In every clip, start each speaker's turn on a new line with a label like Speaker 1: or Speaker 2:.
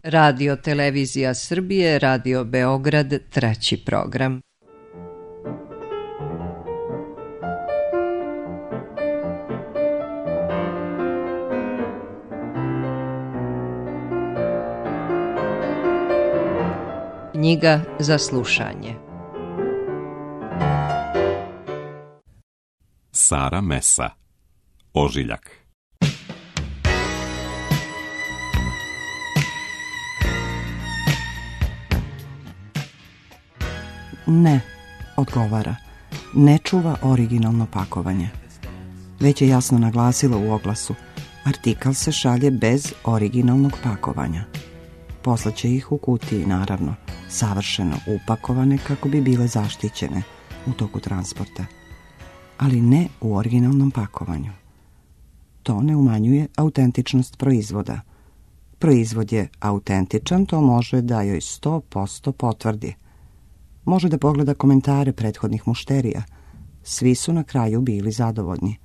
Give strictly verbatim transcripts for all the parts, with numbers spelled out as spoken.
Speaker 1: Radio Televizija Srbije, Radio Beograd, treći program. Knjiga za slušanje.
Speaker 2: Sara Mesa, Ožiljak.
Speaker 3: Ne, odgovara, ne čuva originalno pakovanje. Već je jasno naglasila u oglasu, artikal se šalje bez originalnog pakovanja. Poslaće ih u kutiji, naravno, savršeno upakovane kako bi bile zaštićene u toku transporta, ali ne u originalnom pakovanju. To ne umanjuje autentičnost proizvoda. Proizvod je autentičan, to može da joj sto posto potvrdi. Može da pogleda komentare prethodnih mušterija. Svi su na kraju bili zadovoljni.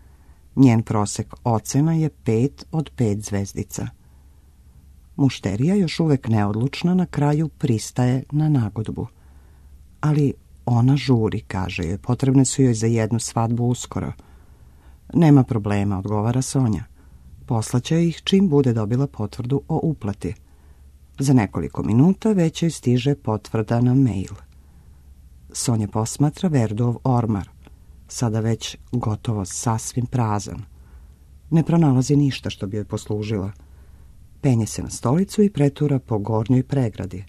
Speaker 3: Njen prosek ocena je pet od pet zvezdica. Mušterija, još uvek neodlučna, na kraju pristaje na nagodbu. Ali ona žuri, kaže joj, potrebne su joj za jednu svadbu uskoro. Nema problema, odgovara Sonja. Poslaće ih čim bude dobila potvrdu o uplati. Za nekoliko minuta već joj stiže potvrda na mail. Sonja posmatra Verdov ormar, sada već gotovo sasvim prazan. Ne pronalazi ništa što bi joj poslužila. Penje se na stolicu i pretura po gornjoj pregradi.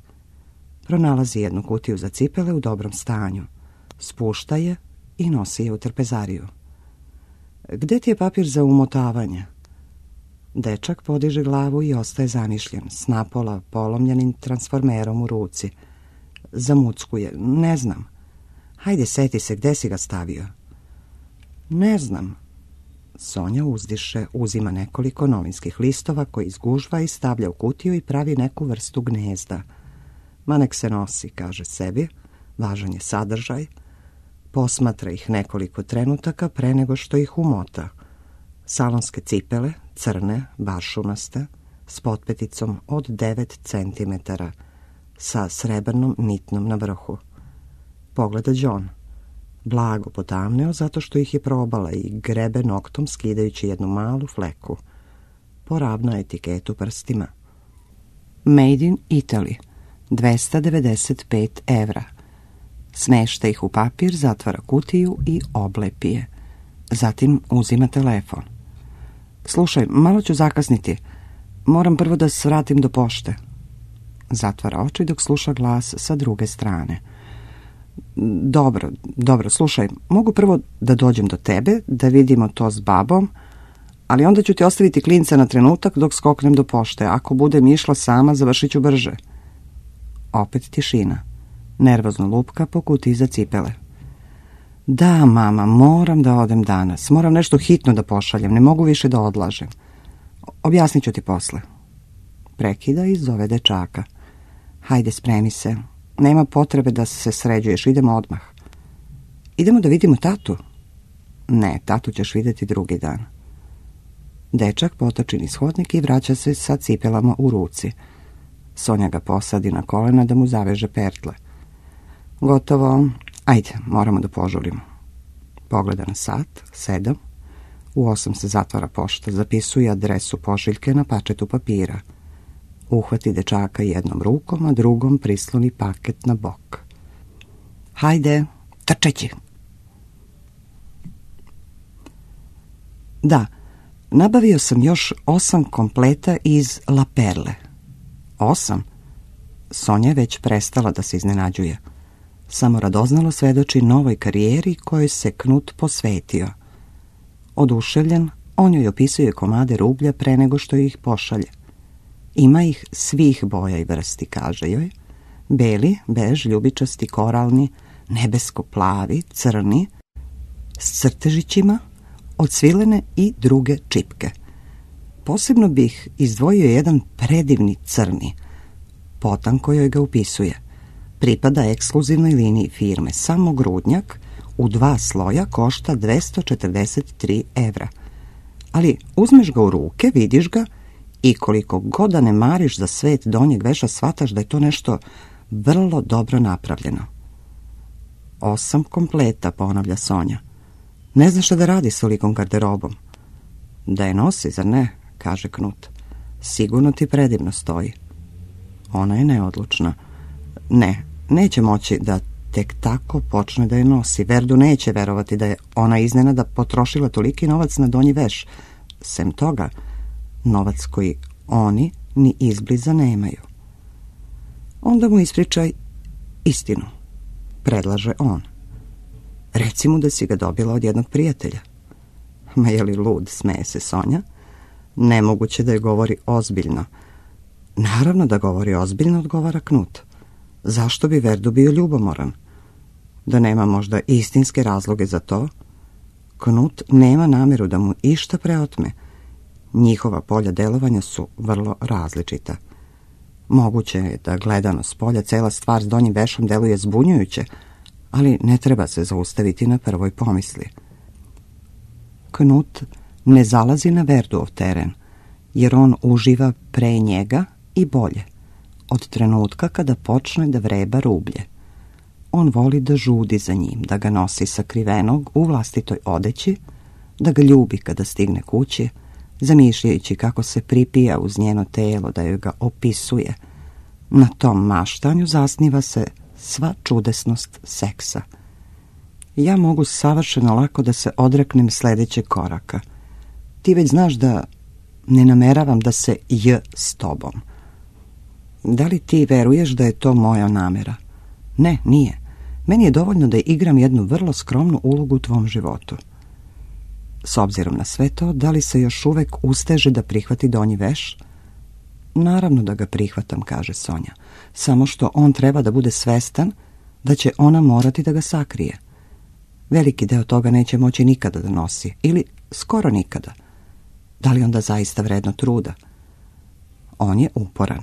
Speaker 3: Pronalazi jednu kutiju za cipele u dobrom stanju. Spušta je i nosi je u trpezariju. Gde ti je papir za umotavanje? Dečak podiže glavu i ostaje zamišljen, s napola polomljenim transformerom u ruci. Zamuckuje. Ne znam. Hajde, seti se, gde si ga stavio? Ne znam. Sonja uzdiše, uzima nekoliko novinskih listova koji izgužva i stavlja u kutiju i pravi neku vrstu gnezda. Ma nek se nosi, kaže sebi, važan je sadržaj. Posmatra ih nekoliko trenutaka pre nego što ih umota. Salonske cipele, crne, bašunaste, s potpeticom od devet centimetara, sa srebrnom nitnom na vrhu. Pogleda John. Blago potamneo zato što ih je probala i grebe noktom skidajući jednu malu fleku. Poravna etiketu prstima. Made in Italy, dvesta devedeset pet evra. Smešta ih u papir, zatvara kutiju i oblepi je. Zatim uzima telefon. Slušaj, malo ću zakasniti. Moram prvo da se vratim do pošte. Zatvara oči dok sluša glas sa druge strane. Dobro, dobro, slušaj, mogu prvo da dođem do tebe, da vidimo to s babom, ali onda ću ti ostaviti klinca na trenutak dok skoknem do pošte. Ako budem išla sama, završit ću brže. Opet tišina. Nervozno lupka po kutiji za cipele. Da, mama, moram da odem danas. Moram nešto hitno da pošaljem, ne mogu više da odlažem. Objasnit ću ti posle. Prekida i zove dečaka. Hajde, spremi se. Nema potrebe da se sređuješ, idemo odmah. Idemo da vidimo tatu? Ne, tatu ćeš vidjeti drugi dan. Dečak potoči niz hodnik i vraća se sa cipelama u ruci. Sonja ga posadi na kolena da mu zaveže pertle. Gotovo. Ajde, moramo da požurimo. Pogleda na sat, sedam. U osam se zatvara pošta, zapisuje adresu pošiljke na pačetu papira. Uhvati dečaka jednom rukom, a drugom prisloni paket na bok. Hajde, trčeći. Da, nabavio sam još osam kompleta iz La Perle. Osam? Sonja je već prestala da se iznenađuje. Samo radoznalo svedoči novoj karijeri kojoj se Knut posvetio. Oduševljen, on joj opisuje komade rublja pre nego što ih pošalje. Ima ih svih boja i vrsti, kaže joj. Beli, bež, ljubičasti, koralni, nebesko-plavi, crni, s crtežićima, odsvilene i druge čipke. Posebno bih izdvojio jedan predivni crni, potanko joj ga upisuje. Pripada ekskluzivnoj liniji firme, samo grudnjak, u dva sloja košta dvesta četrdeset tri evra. Ali uzmeš ga u ruke, vidiš ga I koliko god da ne mariš za svet donjeg veša, shvataš da je to nešto vrlo dobro napravljeno. Osam kompleta, ponavlja Sonja. Ne znaš šta da radi s tolikom garderobom. Da je nosi, zar ne, kaže Knut. Sigurno ti predivno stoji. Ona je neodlučna. Ne, neće moći da tek tako počne da je nosi. Verdu neće verovati da je ona iznenada potrošila toliki novac na donji veš. Sem toga, novac koji oni ni izbliza nemaju. Onda mu ispričaj istinu, predlaže on. Reci mu da si ga dobila od jednog prijatelja. Ma je li lud, smeje se Sonja. Nemoguće da je govori ozbiljno. Naravno da govori ozbiljno, odgovara Knut. Zašto bi Verdu bio ljubomoran? Da nema možda istinske razloge za to? Knut nema namjeru da mu išta preotme. Njihova polja delovanja su vrlo različita. Moguće je da gledano s polja cela stvar s donjim vešom deluje zbunjujuće, ali ne treba se zaustaviti na prvoj pomisli. Knut ne zalazi na Verduov teren, jer on uživa pre njega i bolje, od trenutka kada počne da vreba rublje. On voli da žudi za njim, da ga nosi sakrivenog u vlastitoj odeći, da ga ljubi kada stigne kući, zamišljajući kako se pripija uz njeno telo, da joj ga opisuje. Na tom maštanju zasniva se sva čudesnost seksa. Ja mogu savršeno lako da se odreknem sljedećeg koraka. Ti već znaš da ne nameravam da se j s tobom. Da li ti veruješ da je to moja namera? Ne, nije. Meni je dovoljno da igram jednu vrlo skromnu ulogu u tvom životu. S obzirom na sve to, da li se još uvek usteže da prihvati donji veš? Naravno da ga prihvatam, kaže Sonja. Samo što on treba da bude svestan da će ona morati da ga sakrije. Veliki deo toga neće moći nikada da nosi, ili skoro nikada. Da li onda zaista vredno truda? On je uporan.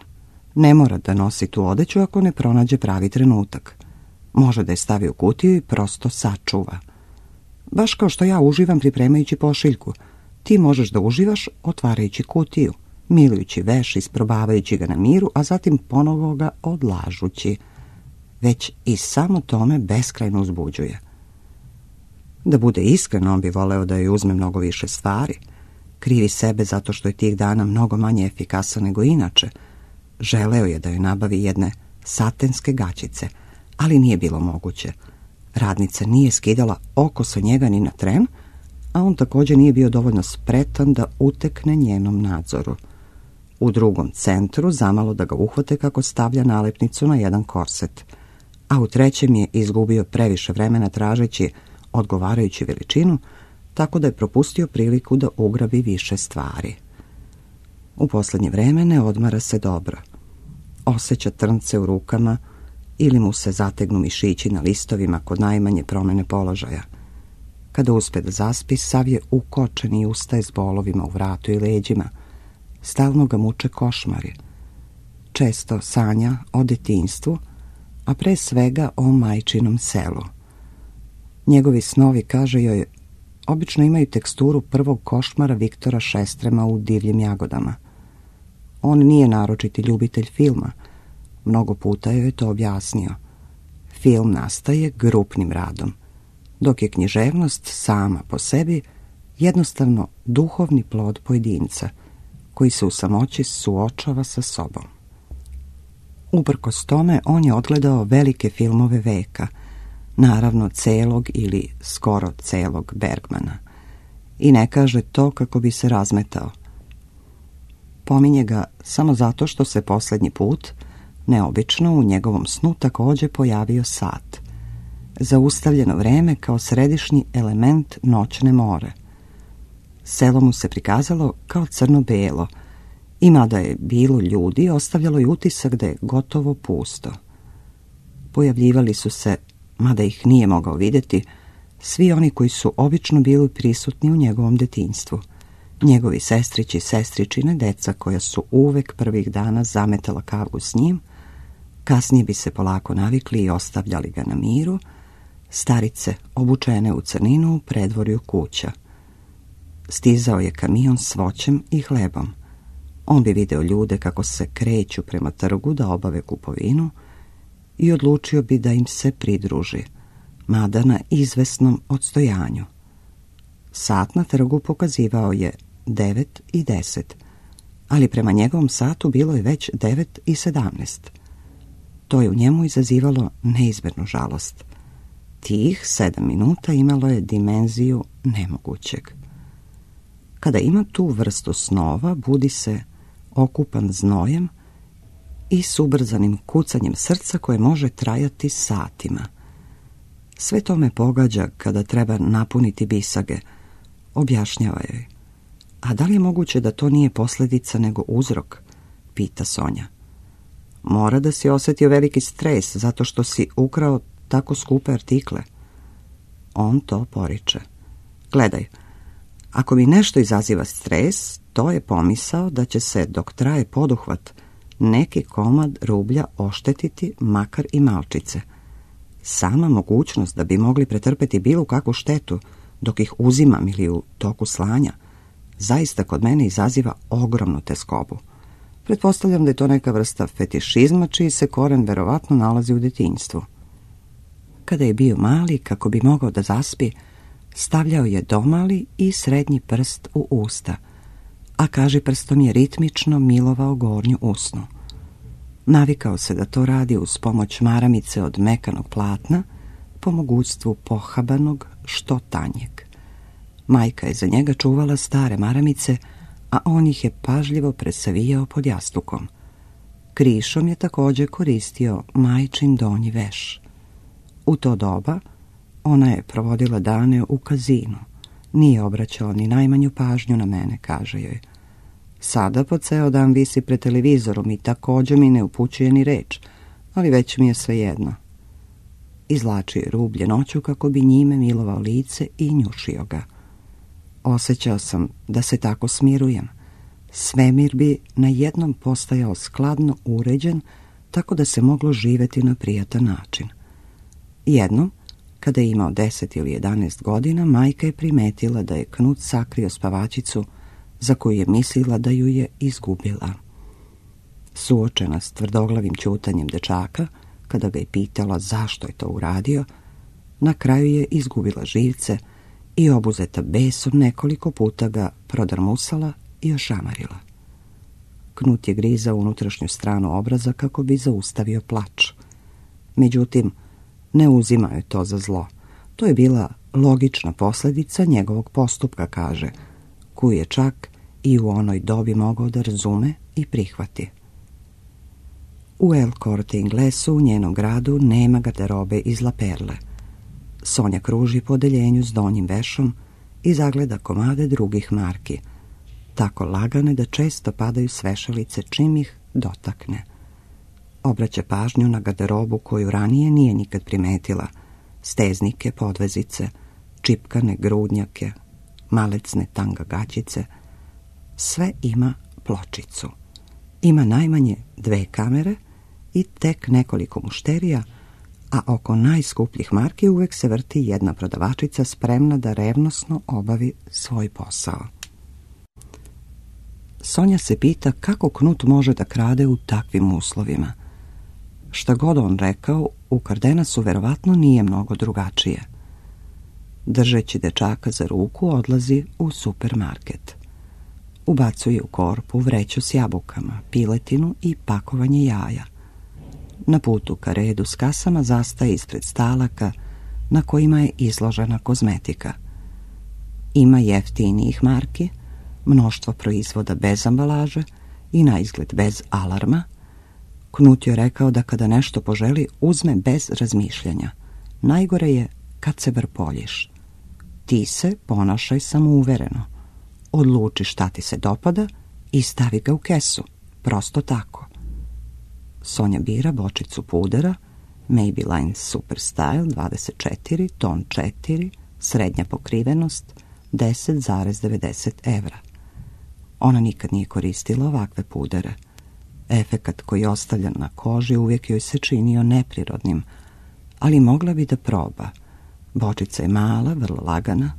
Speaker 3: Ne mora da nosi tu odeću ako ne pronađe pravi trenutak. Može da je stavi u kutiju i prosto sačuva. Baš kao što ja uživam pripremajući pošiljku, ti možeš da uživaš otvarajući kutiju, milujući veš, isprobavajući ga na miru, a zatim ponovo ga odlažući. Već i samo tome beskrajno uzbuđuje. Da bude iskren, on bi voleo da joj uzme mnogo više stvari. Krivi sebe zato što je tih dana mnogo manje efikasan nego inače. Želeo je da joj nabavi jedne satenske gaćice, ali nije bilo moguće. Radnica nije skidala oko sa njega ni na tren, a on također nije bio dovoljno spretan da utekne njenom nadzoru. U drugom centru zamalo da ga uhvate kako stavlja nalepnicu na jedan korset, a u trećem je izgubio previše vremena tražeći odgovarajuću veličinu, tako da je propustio priliku da ugrabi više stvari. U posljednje vreme ne odmara se dobro. Osjeća trnce u rukama ili mu se zategnu mišići na listovima kod najmanje promjene položaja. Kada uspe da zaspi, sav je ukočen i ustaje s bolovima u vratu i leđima. Stalno ga muče košmari. Često sanja o detinjstvu, a pre svega o majčinom selu. Njegovi snovi, kaže joj, obično imaju teksturu prvog košmara Viktora Šestrema u Divljim jagodama. On nije naročiti ljubitelj filma. Mnogo puta joj je to objasnio. Film nastaje grupnim radom, dok je književnost sama po sebi jednostavno duhovni plod pojedinca, koji se u samoći suočava sa sobom. Uprkos tome, on je odgledao velike filmove veka, naravno celog ili skoro celog Bergmana, i ne kaže to kako bi se razmetao. Pominje ga samo zato što se posljednji put, neobično, u njegovom snu također pojavio sat. Zaustavljeno vreme kao središnji element noćne more. Selo mu se prikazalo kao crno-belo, i mada je bilo ljudi, ostavljalo je utisak da je gotovo pusto. Pojavljivali su se, mada ih nije mogao vidjeti, svi oni koji su obično bili prisutni u njegovom detinjstvu. Njegovi sestrići i sestričine, deca koja su uvek prvih dana zametala kavu s njim, kasnije bi se polako navikli i ostavljali ga na miru, starice obučene u crninu u predvorju kuća. Stizao je kamion s voćem i hlebom. On bi video ljude kako se kreću prema trgu da obave kupovinu i odlučio bi da im se pridruži, mada na izvesnom odstojanju. Sat na trgu pokazivao je devet i deset, ali prema njegovom satu bilo je već devet i sedamnaest. To je u njemu izazivalo neizmernu žalost. Tih sedam minuta imalo je dimenziju nemogućeg. Kada ima tu vrstu snova, budi se okupan znojem i s ubrzanim kucanjem srca koje može trajati satima. Sve to me pogađa kada treba napuniti bisage, objašnjava joj. A da li je moguće da to nije posljedica nego uzrok? Pita Sonja. Mora da si osjetio veliki stres zato što si ukrao tako skupe artikle. On to poriče. Gledaj, ako mi nešto izaziva stres, to je pomisao da će se, dok traje poduhvat, neki komad rublja oštetiti makar i malčice. Sama mogućnost da bi mogli pretrpeti bilo kakvu štetu dok ih uzimam ili u toku slanja, zaista kod mene izaziva ogromnu teskobu. Pretpostavljam da je to neka vrsta fetišizma čiji se koren verovatno nalazi u djetinjstvu. Kada je bio mali, kako bi mogao da zaspi, stavljao je domali i srednji prst u usta, a kaži prstom je ritmično milovao gornju usnu. Navikao se da to radi uz pomoć maramice od mekanog platna, po mogućstvu pohabanog što tanjeg. Majka je za njega čuvala stare maramice, a on ih je pažljivo presavijao pod jastukom. Krišom je također koristio majčin donji veš. U to doba ona je provodila dane u kazinu. Nije obraćala ni najmanju pažnju na mene, kaže joj. Sada po ceo dan visi pred televizorom i također mi ne upućuje ni reč, ali već mi je svejedno. Izvlačio je rublje noću kako bi njime milovao lice i njušio ga. Osjećao sam da se tako smirujem. Svemir bi na jednom postajao skladno uređen, tako da se moglo živjeti na prijatan način. Jednom, kada je imao deset ili jedanaest godina, majka je primetila da je Knut sakrio spavačicu za koju je mislila da ju je izgubila. Suočena s tvrdoglavim ćutanjem dečaka, kada ga je pitala zašto je to uradio, na kraju je izgubila živce i obuzeta besom nekoliko puta ga prodrmusala i ošamarila. Knut je grizao unutrašnju stranu obraza kako bi zaustavio plač. Međutim, ne uzimao je to za zlo. To je bila logična posljedica njegovog postupka, kaže, koju je čak i u onoj dobi mogao da razume i prihvati. U El Corte Inglesu, u njenom gradu, nema garderobe iz La Perle. Sonja kruži po odeljenju s donjim vešom i zagleda komade drugih marki, tako lagane da često padaju s vešalice čim ih dotakne. Obraća pažnju na garderobu koju ranije nije nikad primetila, steznike, podvezice, čipkane grudnjake, malecne tanga gaćice. Sve ima pločicu. Ima najmanje dve kamere i tek nekoliko mušterija, a oko najskupljih marki uvek se vrti jedna prodavačica spremna da revnosno obavi svoj posao. Sonja se pita kako Knut može da krade u takvim uslovima. Šta god on rekao, u Kardenasu verovatno nije mnogo drugačije. Držeći dečaka za ruku, odlazi u supermarket. Ubacuje u korpu vreću s jabukama, piletinu i pakovanje jaja. Na putu ka redu s kasama zastaje ispred stalaka na kojima je izložena kozmetika. Ima jeftinijih marki, mnoštvo proizvoda bez ambalaže i na izgled bez alarma. Knut je rekao da kada nešto poželi, uzme bez razmišljanja. Najgore je kad se vrpoljiš. Ti se ponašaj samouvereno. Odluči šta ti se dopada i stavi ga u kesu. Prosto tako. Sonja bira bočicu pudera, Maybelline Super Style dvadeset četiri, ton četiri, srednja pokrivenost, deset zarez devedeset evra. Ona nikad nije koristila ovakve pudere. Efekat koji ostavlja na koži uvijek joj se činio neprirodnim, ali mogla bi da proba. Bočica je mala, vrlo lagana,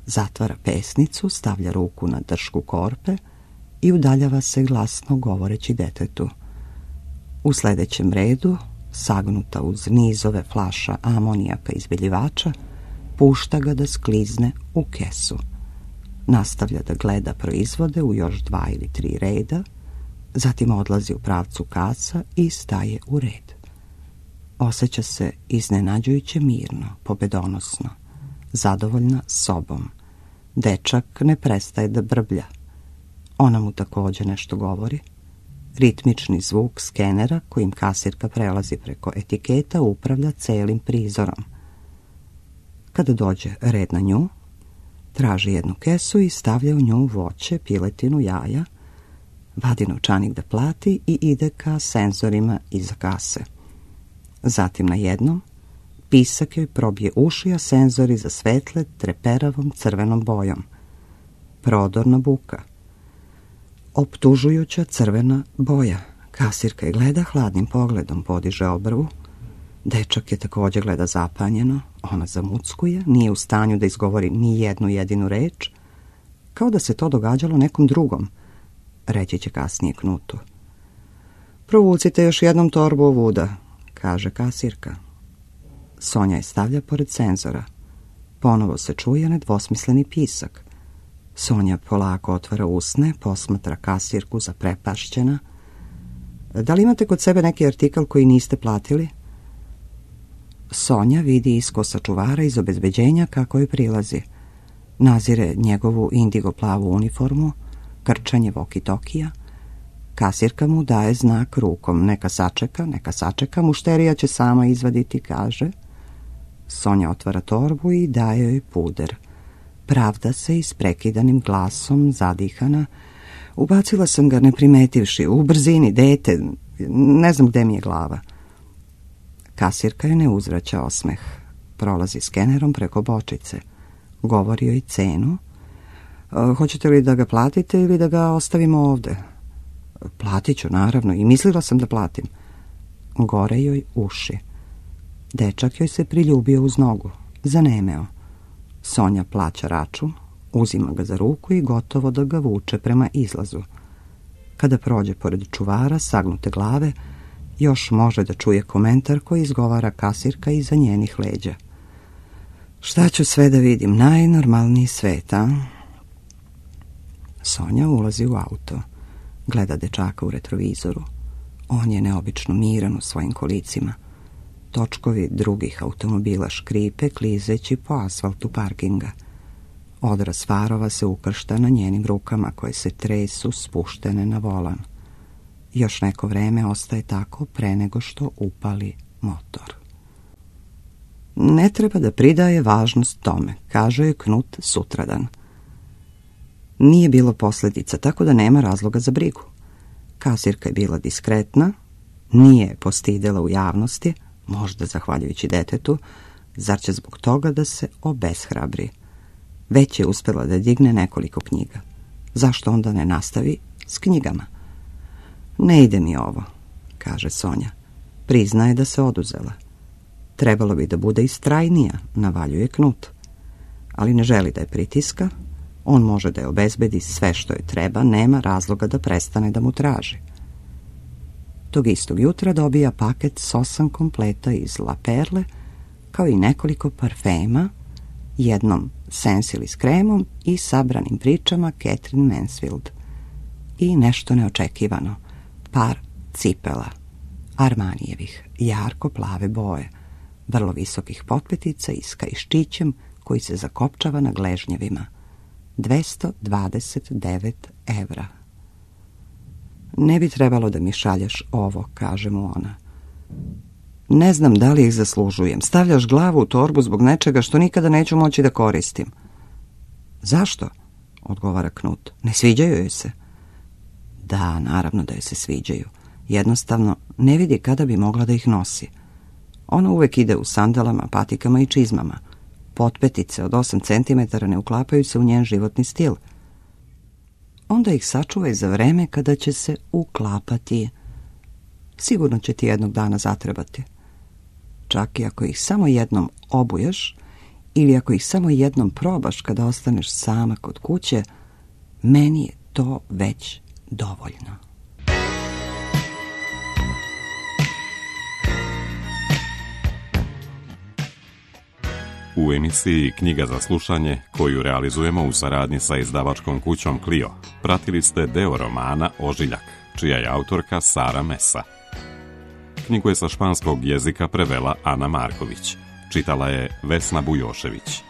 Speaker 3: zatvara pesnicu, stavlja ruku na dršku korpe i udaljava se glasno govoreći detetu. U sljedećem redu, sagnuta uz nizove flaša amonijaka izbeljivača, pušta ga da sklizne u kesu. Nastavlja da gleda proizvode u još dva ili tri reda, zatim odlazi u pravcu kasa i staje u red. Osjeća se iznenađujuće mirno, pobedonosno, zadovoljna sobom. Dečak ne prestaje da brblja. Ona mu također nešto govori. Ritmični zvuk skenera kojim kasirka prelazi preko etiketa upravlja celim prizorom. Kada dođe red na nju, traži jednu kesu i stavlja u nju voće, piletinu, jaja, vadi novčanik da plati i ide ka senzorima iza kase. Zatim na jednom pisak joj probije uši, a senzori zasvetle treperavom crvenom bojom. Prodorna buka. Optužujuća crvena boja. Kasirka je gleda hladnim pogledom, podiže obrvu. Dečak je također gleda zapanjeno. Ona zamuckuje, nije u stanju da izgovori ni jednu jedinu reč, kao da se to događalo nekom drugom. Reći će kasnije Knutu. Provucite još jednom torbu ovuda, kaže kasirka. Sonja je stavlja pored senzora. Ponovo se čuje nedvosmisleni pisak. Sonja polako otvara usne, posmatra kasirku zaprepašćena. Da li imate kod sebe neki artikal koji niste platili? Sonja vidi iskosa čuvara iz obezbeđenja kako joj prilazi. Nazire njegovu indigo plavu uniformu, krčanje walkie-talkija. Kasirka mu daje znak rukom. Neka sačeka, neka sačeka, mušterija će sama izvaditi, kaže. Sonja otvara torbu i daje joj puder. Pravda se i s prekidanim glasom, zadihana. Ubacila sam ga ne primetivši, u brzini, dete, ne znam gde mi je glava. Kasirka joj ne uzvraća osmeh. Prolazi skenerom preko bočice. Govori joj cenu. Hoćete li da ga platite ili da ga ostavimo ovde? Platit ću, naravno, i mislila sam da platim. Gore joj uši. Dečak joj se priljubio uz nogu. Zanemeo. Sonja plaća račun, uzima ga za ruku i gotovo da ga vuče prema izlazu. Kada prođe pored čuvara, sagnute glave, još može da čuje komentar koji izgovara kasirka iza njenih leđa. Šta ću sve da vidim? Najnormalniji svet, a? Sonja ulazi u auto. Gleda dečaka u retrovizoru. On je neobično miran u svojim kolicima. Točkovi drugih automobila škripe klizeći po asfaltu parkinga. Odraz farova se ukršta na njenim rukama koje se tresu spuštene na volan. Još neko vreme ostaje tako pre nego što upali motor. Ne treba da pridaje važnost tome, kaže je Knut sutradan. Nije bilo posljedica, tako da nema razloga za brigu. Kasirka je bila diskretna, nije je postidela u javnosti, možda zahvaljujući detetu, zar će zbog toga da se obeshrabri. Već je uspjela da digne nekoliko knjiga. Zašto onda ne nastavi s knjigama? Ne ide mi ovo, kaže Sonja. Priznaje da se oduzela. Trebalo bi da bude istrajnija, navaljuje Knut. Ali ne želi da je pritiska. On može da je obezbedi sve što joj treba, nema razloga da prestane da mu traži. Tog istog jutra dobija paket s osam kompleta iz La Perle, kao i nekoliko parfema, jednom Sensili s kremom i sabranim pričama Catherine Mansfield. I nešto neočekivano, par cipela, Armanijevih, jarko plave boje, vrlo visokih potpetica i s kaiščićem koji se zakopčava na gležnjevima. dvesta dvadeset devet evra. Ne bi trebalo da mi šalješ ovo, kaže mu ona. Ne znam da li ih zaslužujem. Stavljaš glavu u torbu zbog nečega što nikada neću moći da koristim. Zašto? Odgovara Knut. Ne sviđaju joj se? Da, naravno da joj se sviđaju. Jednostavno ne vidi kada bi mogla da ih nosi. Ona uvek ide u sandalama, patikama i čizmama. Potpetice od osam centimetara ne uklapaju se u njen životni stil. Onda ih sačuvaj za vreme kada će se uklapati. Sigurno će ti jednog dana zatrebati. Čak i ako ih samo jednom obuješ ili ako ih samo jednom probaš kada ostaneš sama kod kuće, meni je to već dovoljno.
Speaker 2: U emisiji Knjiga za slušanje, koju realizujemo u saradnji sa izdavačkom kućom Clio, pratili ste deo romana Ožiljak, čija je autorka Sara Mesa. Knjigu je sa španskog jezika prevela Ana Marković, čitala je Vesna Bujošević.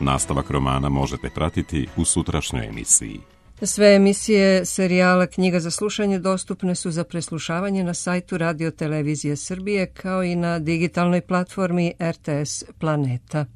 Speaker 2: Nastavak romana možete pratiti u sutrašnjoj emisiji.
Speaker 4: Sve emisije serijala Knjiga za slušanje dostupne su za preslušavanje na sajtu Radio Televizije Srbije kao i na digitalnoj platformi R T S Planeta.